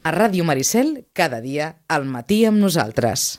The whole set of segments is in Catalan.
A Ràdio Maricel, cada dia, al matí amb nosaltres.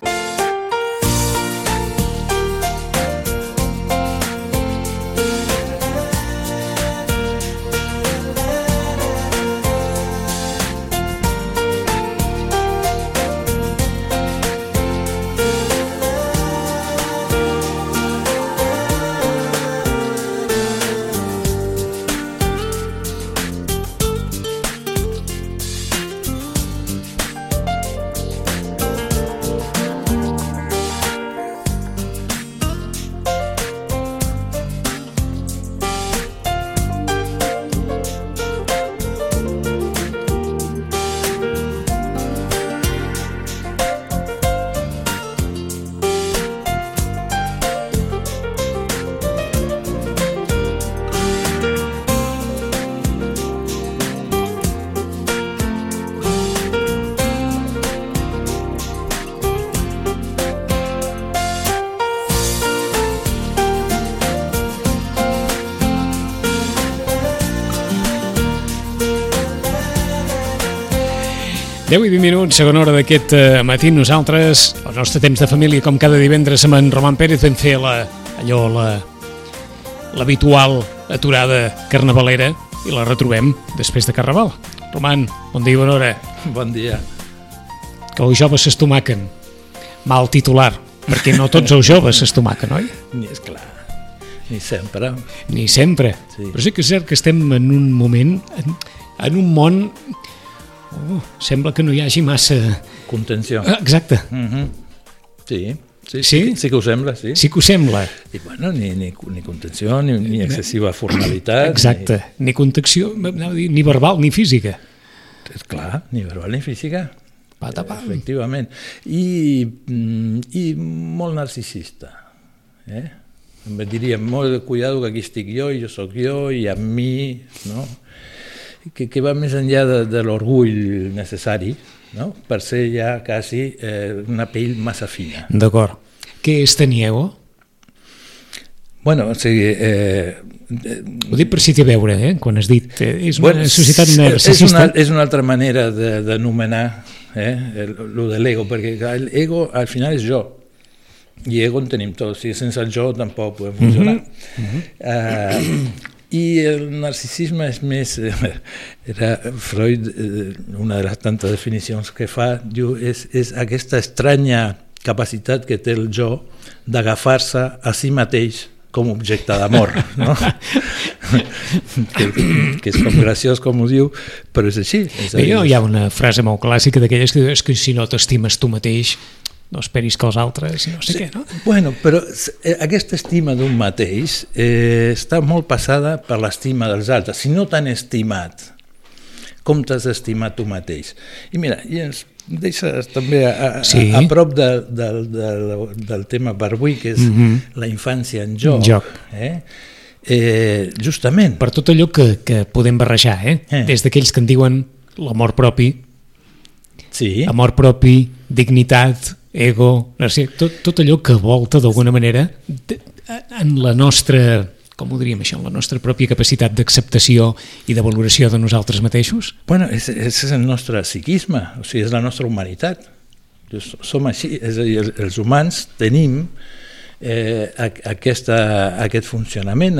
Deu i 20 minuts, segona hora d'aquest matí. Nosaltres, el nostre temps de família, com cada divendres amb en Roman Pérez, vam fer l'habitual aturada carnavalera i la retrobem després de Carnaval. Roman, bon dia i bona hora. Bon dia. Que els joves s'estomaquen. Mal titular, perquè no tots els joves s'estomaquen, oi? És clar, ni sempre. Ni sempre. Sí. Però sí que és cert que estem en un moment, en un món... sembla que no hi hagi massa... Contenció. Exacte. Sí que ho sembla, sí. Sí que ho sembla. I bueno, ni contenció, ni excessiva formalitat. Exacte, ni contenció, ni verbal ni física. És clar, ni verbal ni física. Patapam. Efectivament. I molt narcisista. Em diria, molt cuidado que aquí estic jo sóc jo, i amb mi, no? Que va més enllà de l'orgull necessari, no? Per ser ja quasi una pell massa fina. D'acord. Què és tenir ego? Bueno, o sigui... Ho dic per si té a veure, quan has dit... És una societat narcisista. És una altra manera d'anomenar lo de l'ego, perquè l'ego al final és jo. I ego en tenim tots, i sense el jo tampoc podem funcionar. I el narcisisme és més... Era Freud, una de les tantes definicions que fa, diu, és aquesta estranya capacitat que té el jo d'agafar-se a si mateix com a objecte d'amor, no? que és com graciós, com ho diu, però és així. Hi ha una frase molt clàssica d'aquelles que diu, és que si no t'estimes tu mateix, no esperis que els altres, no sé què, no? Bueno, però aquesta estima d'un mateix està molt passada per l'estima dels altres. Si no t'han estimat, com t'has estimat tu mateix? I mira, i ens deixes també a prop del tema per avui, que és la infància en joc. Justament. Per tot allò que podem barrejar, des d'aquells que en diuen l'amor propi, amor propi, dignitat, ego, tot allò que volta d'alguna manera en la nostra, com ho diríem això, en la nostra pròpia capacitat d'acceptació i de valoració de nosaltres mateixos? Bueno, és el nostre psiquisme, o sigui, és la nostra humanitat. Som així, és a dir, els humans tenim aquest funcionament,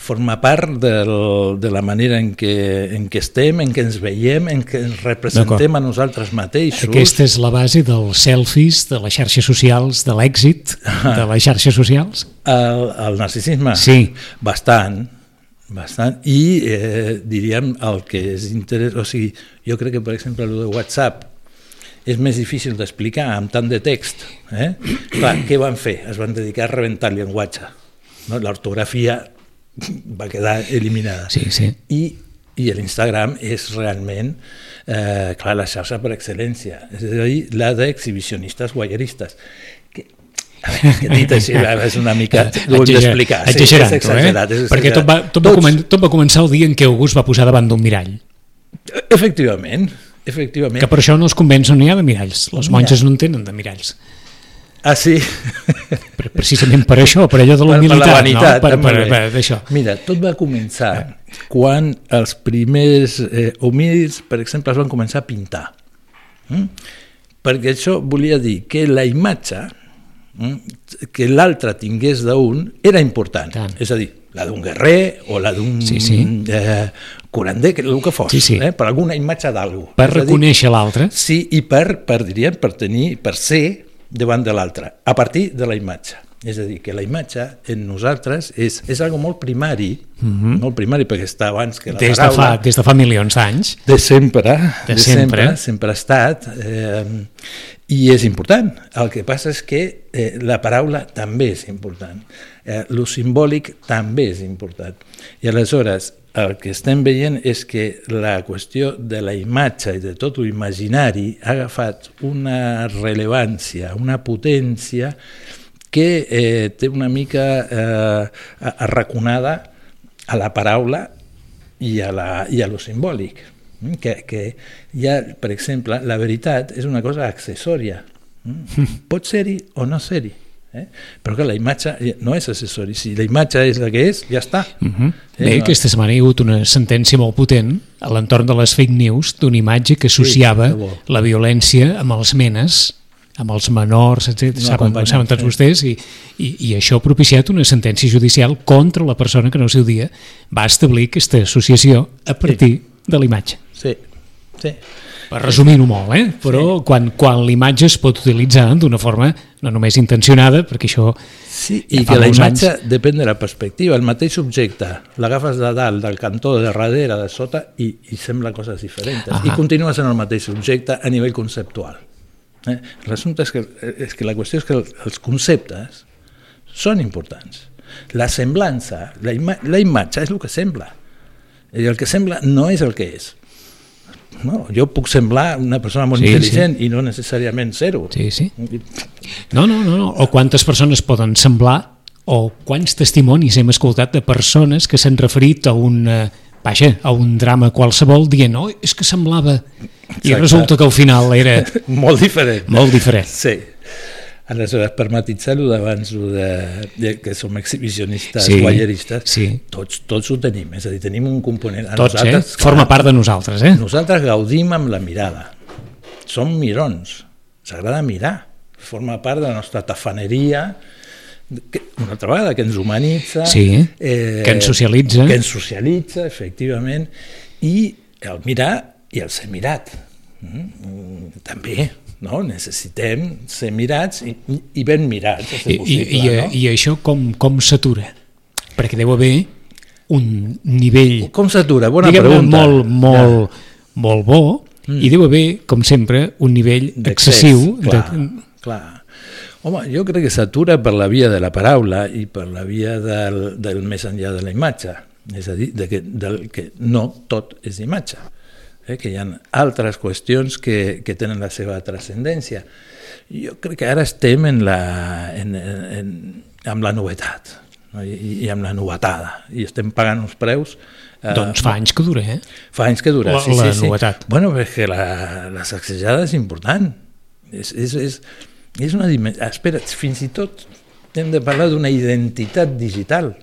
forma part de la manera en què estem, en què ens veiem, en què ens representem a nosaltres mateixos. Aquesta és la base dels selfies, de les xarxes socials, de l'èxit de les xarxes socials? El narcisisme? Sí. Bastant, i diríem el que és interès, o sigui, jo crec que per exemple el de WhatsApp és més difícil d'explicar amb tant de text. Clar, què van fer? Es van dedicar a rebentar el llenguatge. L'ortografia va quedar eliminada. I l'Instagram és realment la xarxa per excel·lència, és a dir, la d'exhibicionistes guayeristes. Que dit així és una mica... Ho hem d'explicar. Exagerat, perquè tot va començar el dia en què August va posar davant d'un mirall. Efectivament. Que per això no els convenç on hi ha de miralls. Les monges no en tenen de miralls. Ah, sí? Precisament per això, per allò de la humilitat. Per la vanitat, no? Per això. Mira, tot va començar quan els primers homínids, per exemple, es van començar a pintar. Perquè això volia dir que la imatge que l'altre tingués d'un era important. És a dir, la d'un guerrer o la d'un curander, el que fos, per alguna imatge d'algú. Per reconèixer l'altre. Sí, i per ser davant de l'altre, a partir de la imatge. És a dir, que la imatge en nosaltres és algo molt primari, molt primari, perquè està abans que la paraula. Des de fa milions d'anys. De sempre ha estat, i és important. El que passa és que la paraula també és important. Lo simbòlic també és important. I aleshores, el que estem veient és que la qüestió de la imatge i de tot l'imaginari ha agafat una rellevància, una potència que té una mica arraconada a la paraula i a lo simbòlic. Que ja, per exemple, la veritat és una cosa accessòria. Pot ser-hi o no ser-hi. Però que la imatge no és accessori, si la imatge és la que és, ja està. Bé, aquesta setmana hi ha hagut una sentència molt potent a l'entorn de les fake news d'una imatge que associava la violència amb els menes, amb els menors, etc. Saben tots vostès, i això ha propiciat una sentència judicial contra la persona que en el seu dia va establir aquesta associació a partir de la imatge. Sí. Per resumir-ho molt, però quan l'imatge es pot utilitzar d'una forma no només intencionada, perquè això... Sí, i que la imatge depèn de la perspectiva. El mateix subjecte l'agafes de dalt, del cantó, de darrere, de sota, i sembla coses diferents. I continua sent el mateix subjecte a nivell conceptual. L'assumpte és que la qüestió és que els conceptes són importants. La semblança, la imatge és el que sembla. I el que sembla no és el que és. No, jo puc semblar una persona molt intel·ligent i no necessàriament ser-ho. No. O quantes persones poden semblar, o quants testimonis hem escoltat de persones que s'han referit a un drama qualsevol dient, és que semblava, i resulta que al final era molt diferent. Sí. Aleshores, per matisar-ho d'abans que som exhibicionistes, guayeristes, tots ho tenim, és a dir, tenim un component... Tots, forma part de nosaltres. Nosaltres gaudim amb la mirada, som mirons, s'agrada mirar, forma part de la nostra tafaneria, una altra vegada, que ens humanitza, que ens socialitza, efectivament, i el mirar i el ser mirat, també. No? Necessitem ser mirats i ben mirats. I això com s'atura? Perquè deu haver un nivell... Com s'atura? Bona pregunta. Molt bo, i deu haver, com sempre, un nivell excessiu. Clar. Home, jo crec que s'atura per la via de la paraula i per la via del més enllà de la imatge. És a dir, que no tot és imatge. Que hi ha altres qüestions que tenen la seva transcendència. Jo crec que ara estem amb la novetat, no? I amb la novetada, i estem pagant uns preus... Doncs fa anys que dura, Fa anys que dura, la novetat. Bueno, perquè la sacsejada és important. És una dimensió... Espera, fins i tot hem de parlar d'una identitat digital.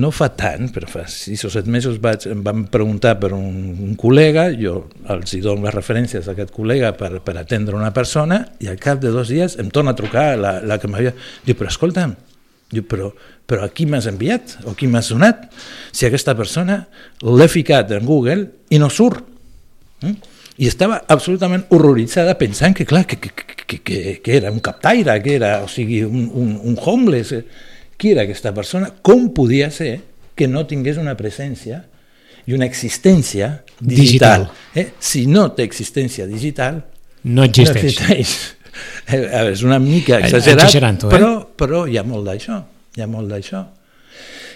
No fa tant, però fa 6 o 7 mesos em van preguntar per un col·lega, jo els hi dono les referències d'aquest col·lega per atendre una persona, i al cap de 2 dies em torna a trucar la que m'havia... Diu, però escolta'm, però a qui m'has enviat o qui m'has donat? Si aquesta persona l'he ficat en Google i no surt. I estava absolutament horroritzada pensant que, clar, que era un captaire, que era, o sigui, un homeless... Qui era aquesta persona? Com podia ser que no tingués una presència i una existència digital? Si no té existència digital, no existeix. És una mica exagerat, però hi ha molt d'això.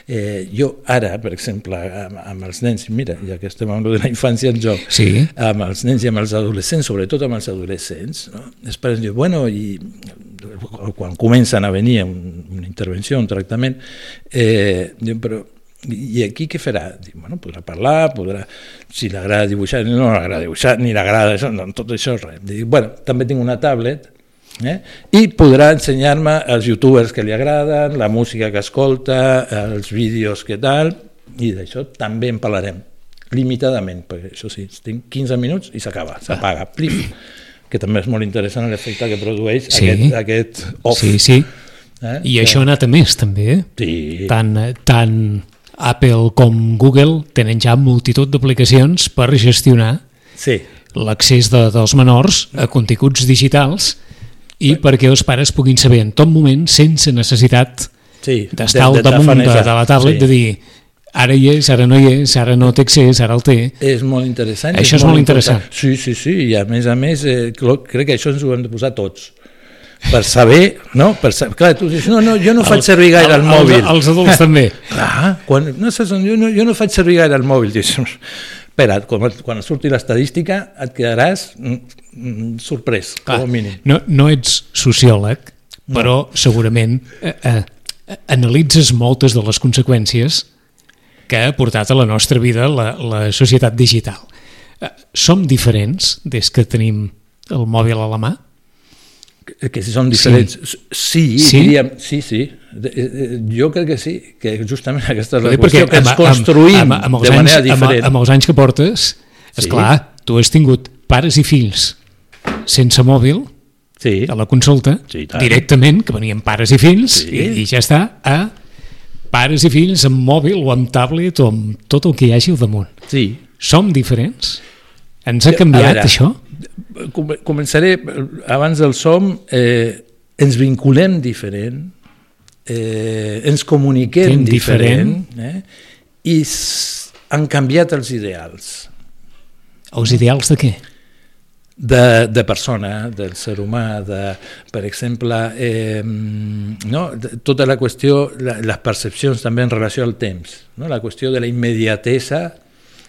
Jo ara, per exemple, amb els nens, mira, ja que estem amb la infància en joc, amb els nens i amb els adolescents, sobretot amb els adolescents, els pares diuen, bueno, i quan comencen a venir una intervenció, un tractament, diuen, però i aquí què farà? Dic, bueno, podrà parlar, si l'agrada dibuixar, no l'agrada dibuixar, ni l'agrada això, no, tot això res. Dic, bueno, també tinc una tablet I podrà ensenyar-me els youtubers que li agraden, la música que escolta, els vídeos que tal, i d'això també en parlarem, limitadament, perquè això sí, tinc 15 minuts i s'acaba, s'apaga, plif, que també és molt interessant l'efecte que produeix aquest off. Sí. I això ha anat a més, també. Sí. Tant Apple com Google tenen ja multitud d'aplicacions per gestionar l'accés dels menors a continguts digitals i perquè els pares puguin saber en tot moment, sense necessitat d'estar al damunt de la tablet, de dir ara hi és, ara no hi és, ara no té accés, ara el té. És molt interessant. Això és molt interessant. Sí, i a més, crec que això ens ho hem de posar tots. Per saber, no? Clar, tu dius, no, jo no faig servir gaire el mòbil. Els adults també. Clar, jo no faig servir gaire el mòbil. Dius, espera, quan surti l'estadística et quedaràs sorprès, com a mínim. No ets sociòleg, però segurament analitzes moltes de les conseqüències que ha portat a la nostra vida la societat digital. Som diferents des que tenim el mòbil a la mà? Que si són diferents, diríem, sí. Jo crec que sí, que justament aquesta és la qüestió, que ens construïm de manera diferent. Amb els anys que portes, esclar, tu has tingut pares i fills sense mòbil a la consulta, directament, que venien pares i fills, i ja està, a pares i fills amb mòbil o amb tablet o amb tot el que hi hagi al damunt. Sí. Som diferents? Ens ha canviat això? Començaré, abans del som, ens vinculem diferent, ens comuniquem diferent, i han canviat els ideals. Els ideals de què? De persona, del ser humà, per exemple, tota la qüestió, les percepcions també en relació al temps, la qüestió de la immediatesa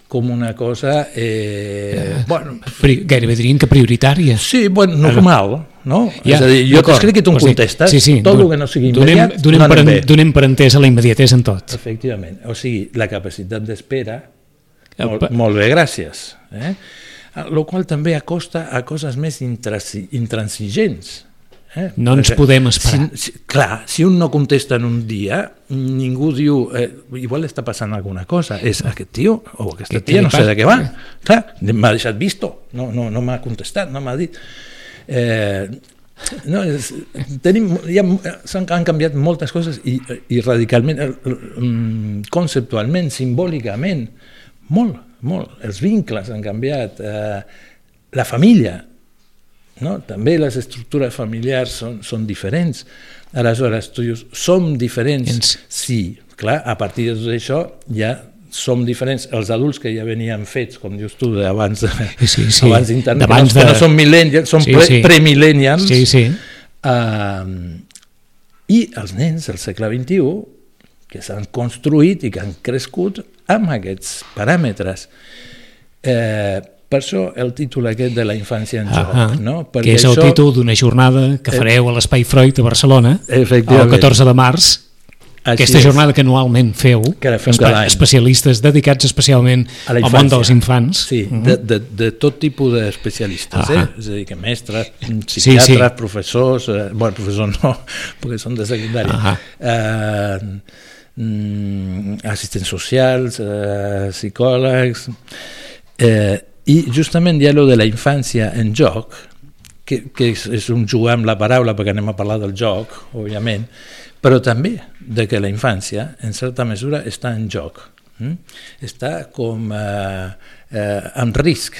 com una cosa... Gairebé dirien que prioritària. Sí, normal, no? És a dir, jo t'escric i tu em contestes, tot el que no sigui immediat no anem bé. Donem per entesa la immediatesa en tot. Efectivament, o sigui, la capacitat d'espera, molt bé, gràcies. El qual també acosta a coses més intransigents. No ens podem esperar. Clar, si un no contesta en un dia, ningú diu, igual està passant alguna cosa, és aquest tio o aquesta tia, no sé de què va. Clar, m'ha deixat visto, no m'ha contestat, no m'ha dit. Han canviat moltes coses i radicalment, conceptualment, simbòlicament, molt. Els vincles han canviat, la família, també les estructures familiars són diferents. Aleshores, tu dius, som diferents? Sí, clar, a partir de tot això ja som diferents. Els adults que ja venien fets, com dius tu, abans d'internet, que no són millennials, són premillennials, i els nens del segle XXI, que s'han construït i que han crescut amb aquests paràmetres. Per això el títol aquest de la infància en joc. Que és el títol d'una jornada que fareu a l'Espai Freud a Barcelona el 14 de març. Aquesta jornada que anualment feu, especialistes dedicats especialment al món dels infants. Sí, de tot tipus d'especialistes, és a dir, que mestres, psiquiatres, professors, professors no, perquè són de secundària, assistents socials, psicòlegs, i justament hi ha allò de la infància en joc, que és un jugar amb la paraula, perquè anem a parlar del joc, òbviament, però també de que la infància, en certa mesura, està en joc. Està com en risc,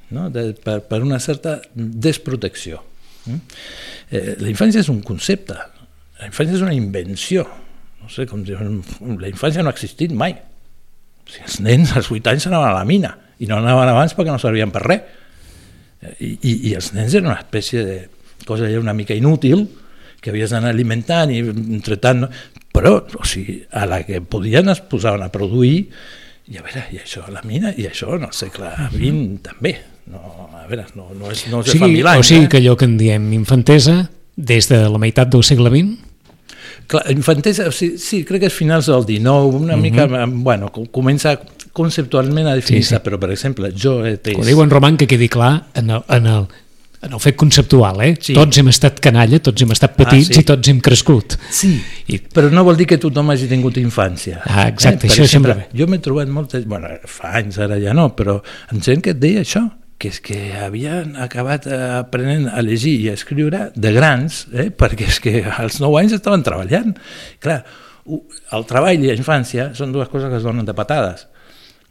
per una certa desprotecció. La infància és un concepte, la infància és una invenció. No sé com dir, la infància no ha existit mai. Els nens als 8 anys anaven a la mina, i no anaven abans perquè no servien per res. I els nens eren una espècie de cosa una mica inútil, que havies d'anar alimentant i entretant, però a la que podien es posaven a produir, i a veure, i això a la mina, i això en el segle XX també, a veure, no és de fa 1000 anys. O sigui que allò que en diem infantesa, des de la meitat del segle XX? Clar, infantesa, sí, crec que és finals del XIX, una mica, comença conceptualment a definir-se, però per exemple, jo he ho diu en Roman, que quedi clar, en el en el fet conceptual, Sí. Tots hem estat canalla, tots hem estat petits i tots hem crescut. Sí, però no vol dir que tothom hagi tingut infància. Exacte, Per això exemple, sempre bé. jo m'he trobat moltes... Bueno, fa anys ara ja no, però amb gent que et deia això, que és que havien acabat aprenent a llegir i a escriure de grans, perquè és que als 9 anys estaven treballant. Clar, el treball i la infància són dues coses que es donen de patades.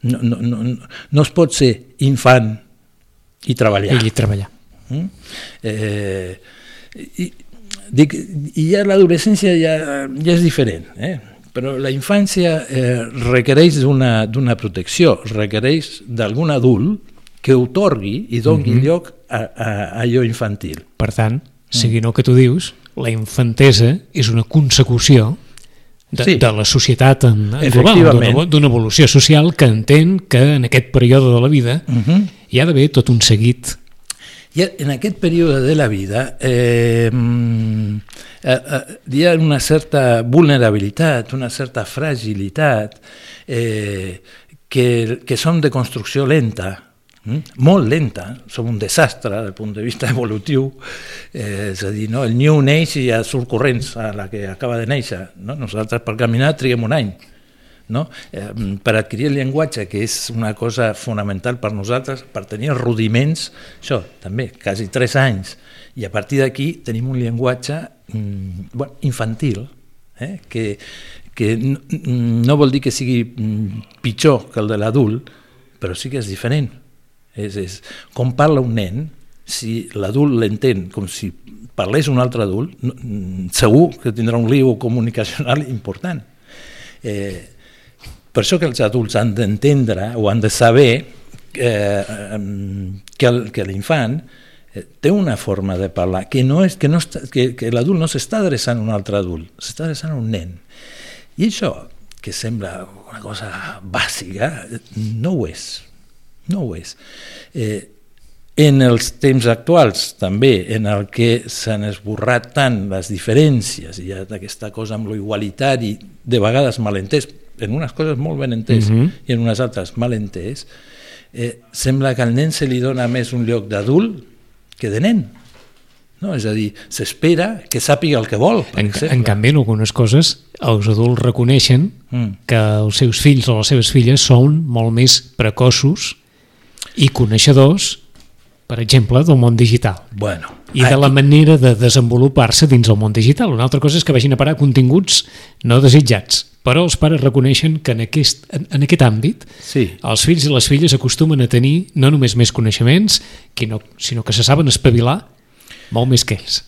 No es pot ser infant i treballar. I treballar. I ja l'adolescència ja és diferent, però la infància requereix d'una protecció, requereix d'algun adult que otorgui i doni lloc a allò infantil. Per tant, seguint el que tu dius, la infantesa és una consecució de la societat en global, d'una evolució social que entén que en aquest període de la vida hi ha d'haver tot un seguit. I en aquest període de la vida hi ha una certa vulnerabilitat, una certa fragilitat que són de construcció lenta, molt lenta, som un desastre des del punt de vista evolutiu, és a dir, el niu neix i ja surt corrents a la que acaba de néixer, nosaltres per caminar triguem un any, per adquirir el llenguatge, que és una cosa fonamental per nosaltres, per tenir els rudiments, això també, quasi 3 anys, i a partir d'aquí tenim un llenguatge infantil, que no vol dir que sigui pitjor que el de l'adult, però sí que és diferent. Com parla un nen, si l'adult l'entén com si parlés un altre adult, segur que tindrà un lío comunicacional important. Per això que els adults han d'entendre o han de saber que l'infant té una forma de parlar, que l'adult no s'està adreçant a un altre adult, s'està adreçant a un nen. I això, que sembla una cosa bàsica, no ho és. No ho és. En els temps actuals, també, en el que s'han esborrat tant les diferències, i hi ha aquesta cosa amb lo igualitari, de vegades malentès, en unes coses molt ben entès i en unes altres mal entès, sembla que al nen se li dona més un lloc d'adult que de nen. És a dir, s'espera que sàpiga el que vol. En canvi, en algunes coses, els adults reconeixen que els seus fills o les seves filles són molt més precoços i coneixedors, per exemple, del món digital. I de la manera de desenvolupar-se dins el món digital. Una altra cosa és que vagin a parar continguts no desitjats, però els pares reconeixen que en aquest àmbit els fills i les filles acostumen a tenir no només més coneixements, sinó que se saben espavilar molt més que ells.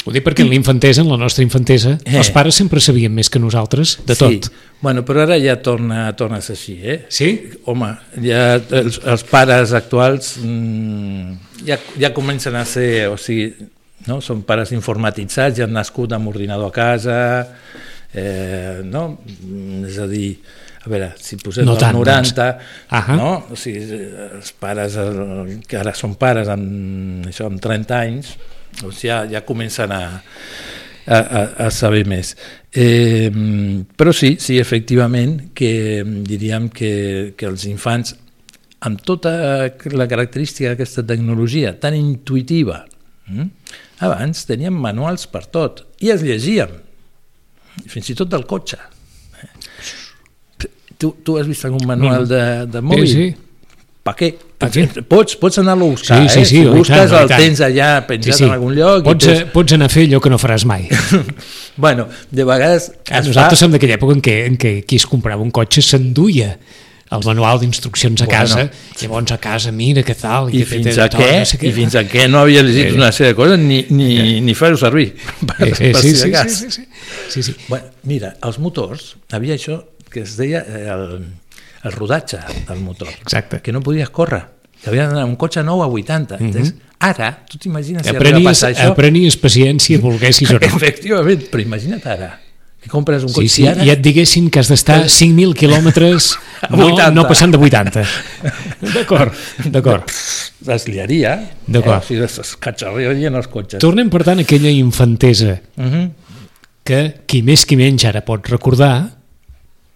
Ho dic perquè en l'infantesa, en la nostra infantesa, els pares sempre sabien més que nosaltres de tot. Però ara ja torna a ser així, Sí? Home, ja els pares actuals ja comencen a ser, o sigui, són pares informatitzats, ja han nascut amb ordinador a casa, és a dir, a veure, si posem el 90, o sigui, els pares que ara són pares amb 30 anys, doncs ja comencen a saber més. Però sí, efectivament, que diríem que els infants, amb tota la característica d'aquesta tecnologia tan intuïtiva, abans teníem manuals per tot i els llegíem, fins i tot del cotxe. Tu has vist algun manual de mòbil? Sí. Per què? Pots anar-lo a buscar, si busques el tens allà penjat en algun lloc. Pots anar a fer allò que no faràs mai. De vegades... Nosaltres som d'aquella època en què qui es comprava un cotxe s'enduia el manual d'instruccions a casa, llavors a casa mira què tal... I fins a què no havia llegit una sèrie de coses ni fer-ho servir. Sí. Mira, els motors, havia això que es deia el rodatge del motor. Exacte. Que no podies córrer. Que havia d'anar un cotxe nou a 80. Ara, tu t'imagines si arriba a passar això... Aprenies paciència, volguessis o no. Efectivament, però imagina't ara, que compres un cotxe... Sí, i et diguessin que has d'estar 5.000 quilòmetres no passant de 80. D'acord. Es liaria. D'acord. Es catxarrien els cotxes. Tornem, per tant, a aquella infantesa que qui més qui menys ara pot recordar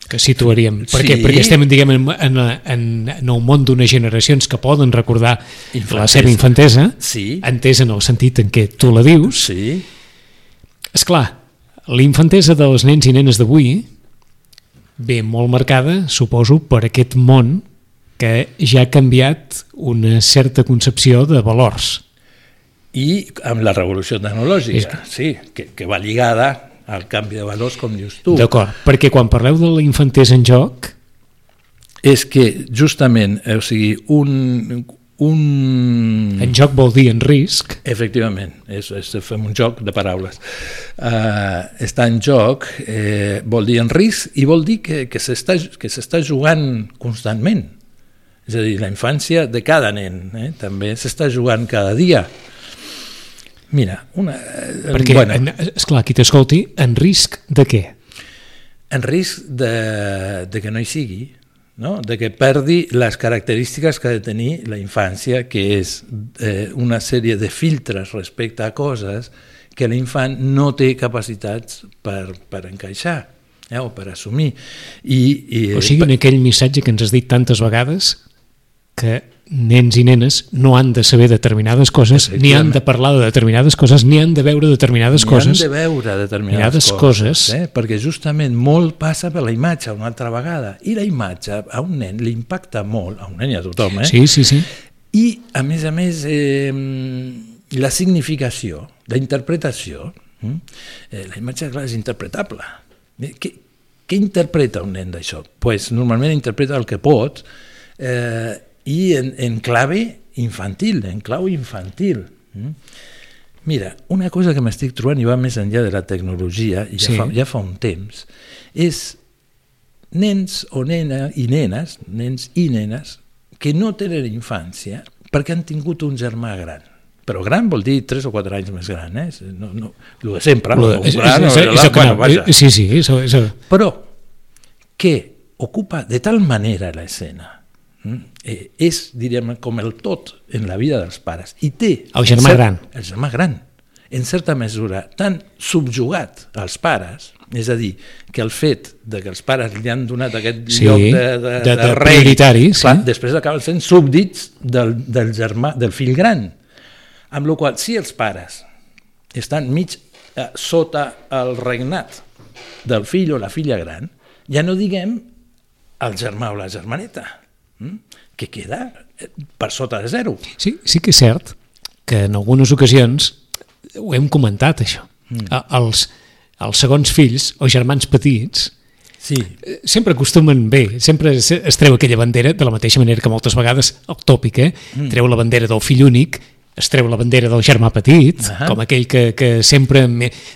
que situaríem, perquè estem, diguem, en un món d'unes generacions que poden recordar la seva infantesa, entesa en el sentit en què tu la dius. Esclar, la infantesa dels nens i nenes d'avui ve molt marcada, suposo, per aquest món que ja ha canviat una certa concepció de valors. I amb la revolució tecnològica, que va lligada al canvi de valors, com dius tu. D'acord, perquè quan parleu de la infantesa en joc... És que justament, o sigui, En joc vol dir en risc. Efectivament, fem un joc de paraules. Estar en joc vol dir en risc i vol dir que s'està jugant constantment. És a dir, la infància de cada nen també s'està jugant cada dia. Mira, perquè, esclar, qui t'escolti, en risc de què? En risc de que no hi sigui, no? De que perdi les característiques que ha de tenir la infància, que és una sèrie de filtres respecte a coses que l'infant no té capacitats per encaixar o per assumir. O sigui, en aquell missatge que ens has dit tantes vegades, que nens i nenes no han de saber determinades coses, ni han de parlar de determinades coses, ni han de veure determinades coses. Ni han de veure determinades coses. Perquè justament molt passa per la imatge una altra vegada. I la imatge a un nen li impacta molt, a un nen i a tothom. Sí. I, a més, la significació, la interpretació, la imatge, clar, és interpretable. Què interpreta un nen d'això? Pues normalment interpreta el que pot, i en clave infantil, en clau infantil. Mira, una cosa que m'estic trobant i va més enllà de la tecnologia, i ja fa un temps, és nens i nenes que no tenen infància perquè han tingut un germà gran. Però gran vol dir 3 o 4 anys més gran, no, el de sempre. Però que ocupa de tal manera l'escena, és, diríem, com el tot en la vida dels pares, i té el germà gran, en certa mesura, tan subjugat als pares, és a dir, que el fet de que els pares li han donat aquest lloc de rei, prioritari, després acaben sent súbdits del germà, del fill gran, amb la qual cosa, si els pares estan mig sota el regnat del fill o la filla gran, ja no diguem el germà o la germaneta, que queda per sota de zero. Sí que és cert que en algunes ocasions ho hem comentat, això. Els segons fills o germans petits sempre acostumen sempre es treu aquella bandera, de la mateixa manera que moltes vegades el tòpic, treu la bandera del fill únic, es treu la bandera del germà petit, com aquell que sempre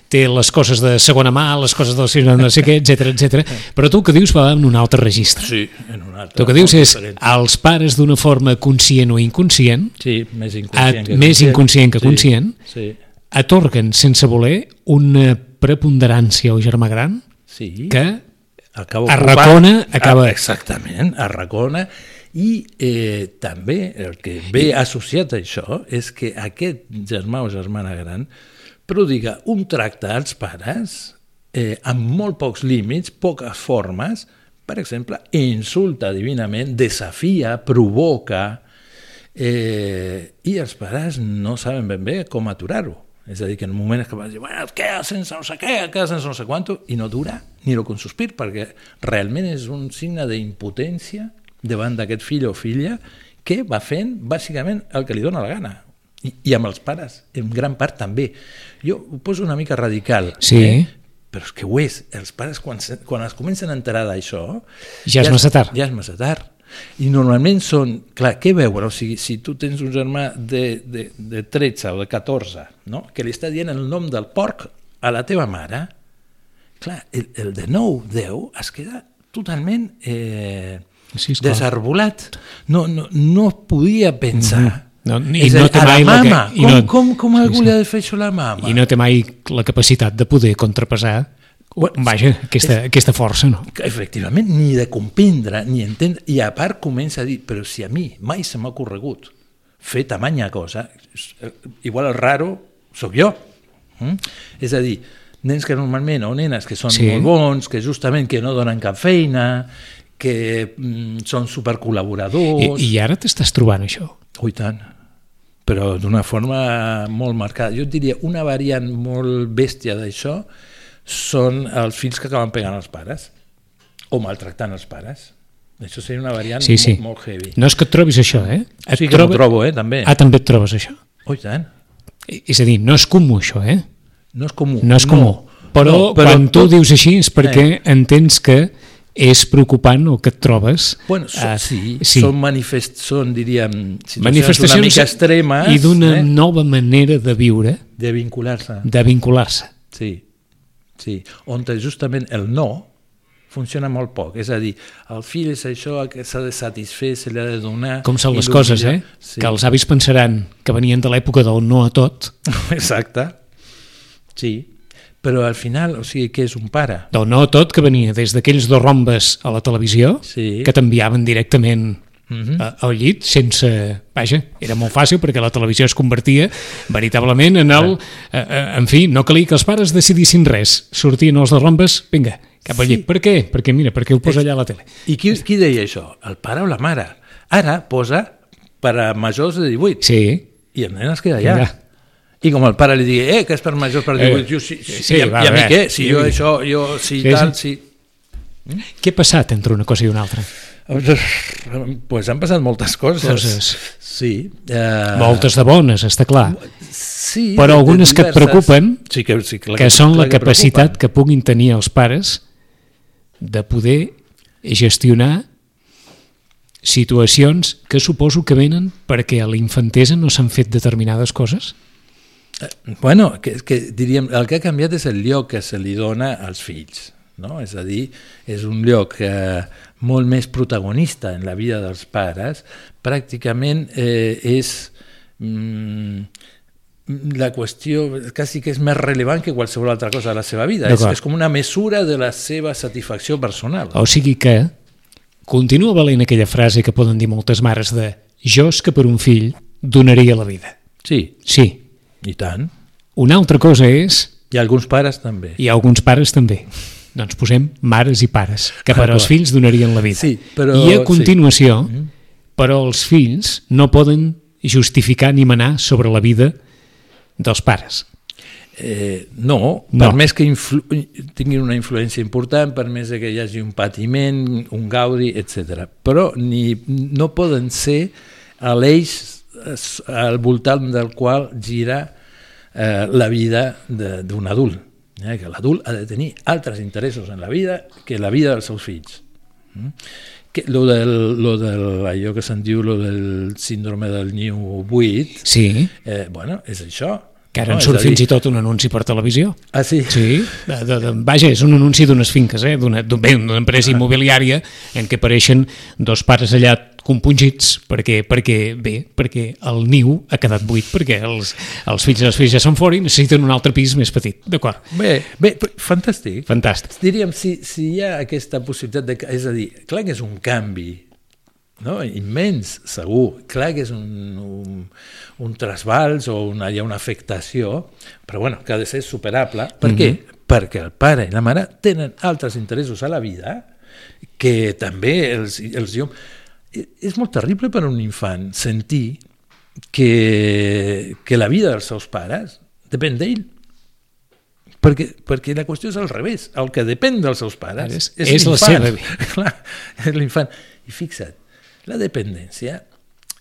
té les coses de segona mà, les coses del no sé què, etc. Però tu el que dius va en un altre registre. Sí, en un altre. Tu el que dius és els pares d'una forma conscient o inconscient, més inconscient que conscient, atorguen sense voler una preponderància al germà gran que arracona, acaba... Exactament, arracona. I també el que ve associat a això és que aquest germà o germana gran prodiga un tracte als pares amb molt pocs límits, poques formes, per exemple, insulta divinament, desafia, provoca, i els pares no saben ben bé com aturar-ho. És a dir, que en un moment és que vas dir, bueno, queda sense no sé què, queda sense no sé quanto, i no dura ni el consospir, perquè realment és un signe d'impotència davant d'aquest fill o filla que va fent bàsicament el que li dóna la gana, i amb els pares en gran part també. Jo ho poso una mica radical, però és que ho és. Els pares quan es comencen a enterar d'això ja és massa tard. I normalment són, clar, què veuen? O sigui, si tu tens un germà de 13 o de 14, no? Que li està dient el nom del porc a la teva mare, clar, el de 9, 10 es queda totalment desarbolat. No podia pensar. I no té mai la mama. Com algú li ha de fer això a la mama? I no té mai la capacitat de poder contrapesar aquesta força, no? Efectivament, ni de comprendre, ni entendre, i a part comença a dir, però si a mi mai se m'ha ocorregut fer tamanya cosa, igual el raro sóc jo. És a dir, nens que normalment, o nenes que són molt bons, que justament que no donen cap feina, que són supercol·laboradors... I ara t'estàs trobant això? Ui, tant. Però d'una forma molt marcada. Jo et diria, una variant molt bèstia d'això són els fills que acaben pegant els pares o maltractant els pares. Això seria una variant molt heavy. No és que et trobis això, eh? Sí que m'ho trobo, també. Ah, també et trobes això? Ui, tant. És a dir, no és comú això, eh? No és comú. No és comú. Però quan tu dius així és perquè entens que és preocupant el que et trobes. Bueno, són, diríem, situacions una mica extremes. I d'una nova manera de viure. De vincular-se. De vincular-se. Sí. On justament el no funciona molt poc. És a dir, el fill és això que s'ha de satisfer, se li ha de donar... Com són les coses, Sí. Que els avis pensaran que venien de l'època del no a tot. Exacte. Sí. Però al final, o sigui, què és un pare? Del no a tot, que venia des d'aquells dos rombes a la televisió, que t'enviaven directament al llit, sense... Vaja, era molt fàcil perquè la televisió es convertia veritablement en el... En fi, no calia que els pares decidissin res. Sortien els dos rombes, vinga, cap al llit. Per què? Perquè ho posa allà a la tele. I qui deia això? El pare o la mare? Ara posa per a majors de 18. Sí. I el nen es queda allà. I com el pare li digui, que és per majors per 18, i a mi què? Si jo això, tal... Què ha passat entre una cosa i una altra? Pues han passat moltes coses. Sí. Moltes de bones, està clar. Sí. Però algunes que et preocupen, que són la capacitat que puguin tenir els pares de poder gestionar situacions que suposo que venen perquè a la infantesa no s'han fet determinades coses. Bueno, que diríem, el que ha canviat és el lloc que se li dona als fills, no? És a dir, és un lloc molt més protagonista en la vida dels pares, pràcticament és la qüestió, quasi que és més rellevant que qualsevol altra cosa de la seva vida, és com una mesura de la seva satisfacció personal. O sigui que continua valent aquella frase que poden dir moltes mares de jo és que per un fill donaria la vida. Sí. Sí. I tant. Una altra cosa és... I alguns pares també. I alguns pares també. Doncs posem mares i pares, que per als fills donarien la vida. Sí, però... I a continuació, però els fills no poden justificar ni manar sobre la vida dels pares. No, per més que tinguin una influència important, per més que hi hagi un patiment, un gaudi, etc. Però no poden ser l'eix al voltant del qual gira la vida d'un adult, que l'adult ha de tenir altres interessos en la vida que la vida dels seus fills. Allò que se'n diu del síndrome del niu buit, bueno, és això. Que ara en surt fins i tot un anunci per televisió. Ah, sí? Sí, vaja, és un anunci d'unes finques, d'una empresa immobiliària en què apareixen dos pares allà compungits perquè el niu ha quedat buit, perquè els fills i les filles ja són fora i necessiten un altre pis més petit. D'acord? Bé, fantàstic. Fantàstic. Diríem, si hi ha aquesta possibilitat, és a dir, clar que és un canvi, no? Immens, segur. Clar que és un trasbals o hi ha una afectació, però bueno, que ha de ser superable. Per què? Perquè el pare i la mare tenen altres interessos a la vida que també els és molt terrible per a un infant sentir que la vida dels seus pares depèn d'ell. Perquè la qüestió és al revés. El que depèn dels seus pares és l'infant. La seva vida. Clar, és l'infant. I fixa't, la dependència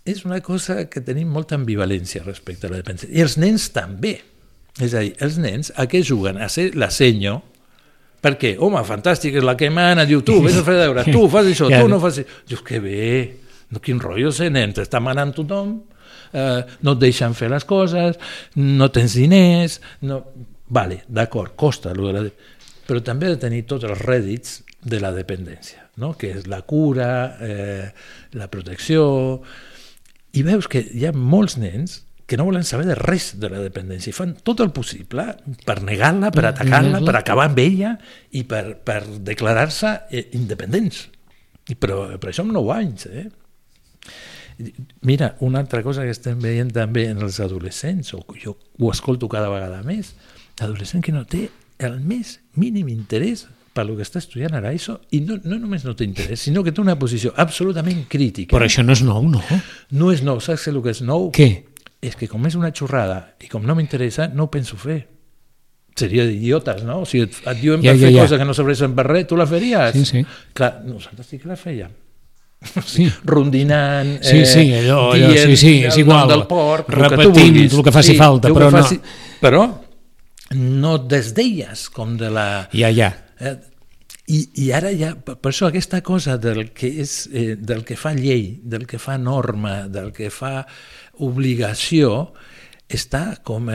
és una cosa que tenim molta ambivalència respecte a la dependència. I els nens també. És a dir, els nens a què juguen? A ser la senyo. Per què? Home, fantàstic, és la que mana, diu, tu, vés a fer deures, tu fas això, tu no fas això. Dius, que bé, quin rotllo ser nen, t'està manant tothom, no et deixen fer les coses, no tens diners, vale, d'acord, costa, però també ha de tenir tots els rèdits de la dependència, no? Que és la cura, la protecció, i veus que hi ha molts nens que no volen saber de res de la dependència i fan tot el possible per negar-la, per atacar-la, per acabar amb ella i per declarar-se independents. Però això amb 9 anys. Mira, una altra cosa que estem veient també en els adolescents, o jo ho escolto cada vegada més, l'adolescent que no té el més mínim interès per lo que està estudiant ara això, i no només no té interès, sinó que té una posició absolutament crítica. Però això no és nou, no? No és nou, saps el que és nou? Què? És que com és una xorrada i com no m'interessa, no ho penso fer. Seria d'idiotes, no? Si et diuen per fer coses que no serveixen per res, tu la faries? Sí. Clar, nosaltres sí que la fèiem. Sí. Rondinant, allò, dient és igual, del porc, repetint el que faci falta, però no... Però no desdeies com de la... Ja. I ara ja, per això aquesta cosa del que fa llei, del que fa norma, del que fa obligació, està com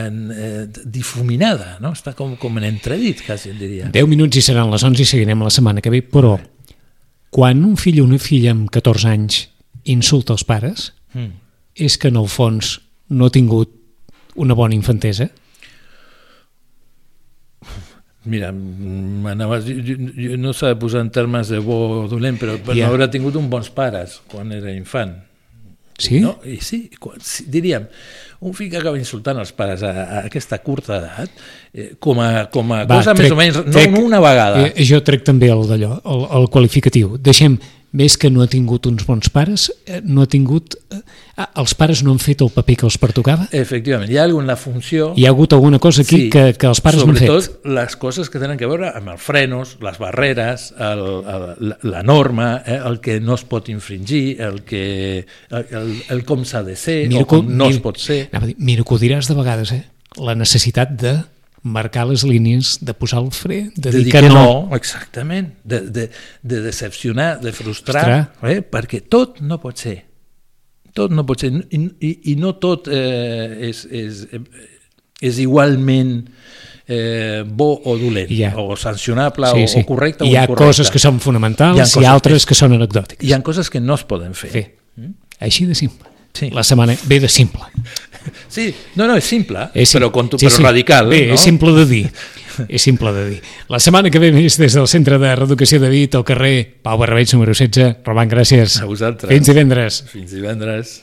difuminada, no? Està com en entredit, quasi, diria. 10 minuts i seran les 11 i seguirem la setmana que ve, però quan un fill o una filla amb 14 anys insulta els pares, és que en el fons no ha tingut una bona infantesa? Mira, jo no s'ha de posar en termes de bo o dolent, però no haurà tingut uns bons pares quan era infant. Sí? No? I sí, diríem, un fill que acaba insultant els pares a aquesta curta edat, com a cosa més o menys, no una vegada. Jo trec també el d'allò, el qualificatiu. Deixem, més que no ha tingut uns bons pares, no ha tingut... els pares no han fet el paper que els pertocava? Efectivament, hi ha alguna funció... Hi ha hagut alguna cosa aquí que els pares no han fet? Sobretot les coses que tenen a veure amb els frenos, les barreres, la norma, el que no es pot infringir, el com s'ha de ser o com no es pot ser. Mira que ho diràs de vegades, la necessitat de marcar les línies, de posar el fre, de dir que no. Exactament, de decepcionar, de frustrar, perquè tot no pot ser. Tot no pot ser, i no tot és igualment bo o dolent, o sancionable o correcte o incorrecte. Hi ha coses que són fonamentals i altres que són anecdòtiques. Hi ha coses que no es poden fer. Així de simple. La setmana ve de simple. Sí, no, és simple, però radical. Bé, és simple de dir. És simple de dir. La setmana que ve més des del Centre de Reeducació de Vic, al carrer Pau Barrabeig, número 16. Roman, gràcies. A vosaltres. Fins divendres. Fins divendres.